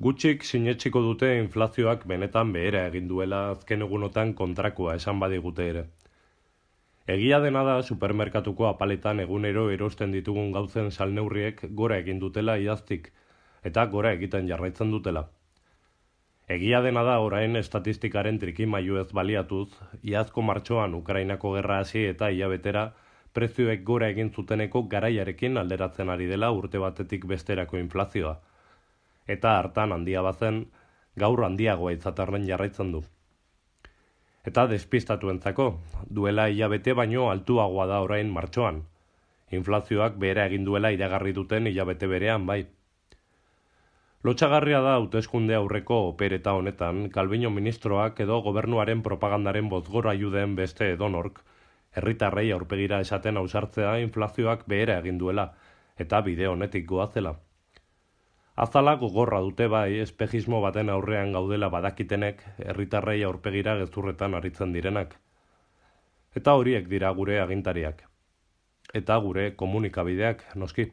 Gutxik sinetsiko dute inflazioak benetan behera egin duela azken egunotan kontrakoa esan badigute ere. Egia dena da supermerkatuko apaletan egunero erosten ditugun gauzen salneurriek gora egin dutela iaztik, eta gora egiten jarraitzen dutela. Egia dena da orain estatistikaren trikimailu ez baliatuz, iazko martxoan Ukrainako gerra hasi eta hilabetera prezioek gora egin zuteneko garaiarekin alderatzen ari dela urte batetik besterako inflazioa. Eta hartan handia bazen, gaur handiagoa izaterren jarraitzen du. Eta despistatuentzako, duela hilabete baino altuagoa da orain martxoan. Inflazioak behera egin duela iragarri duten hilabete berean bai. Lotsagarria da hauteskunde aurreko opereta honetan, Calviño ministroak edo gobernuaren propagandaren bozgorailu den beste edonork, herritarrei aurpegira esaten ausartzea inflazioak behera egin duela, eta bide honetik goazela. Azala gogorra dute bai, espejismo baten aurrean gaudela badakitenek, herritarrei aurpegira gezurretan aritzen direnak. Eta horiek dira gure agintariak. Eta gure komunikabideak, noski.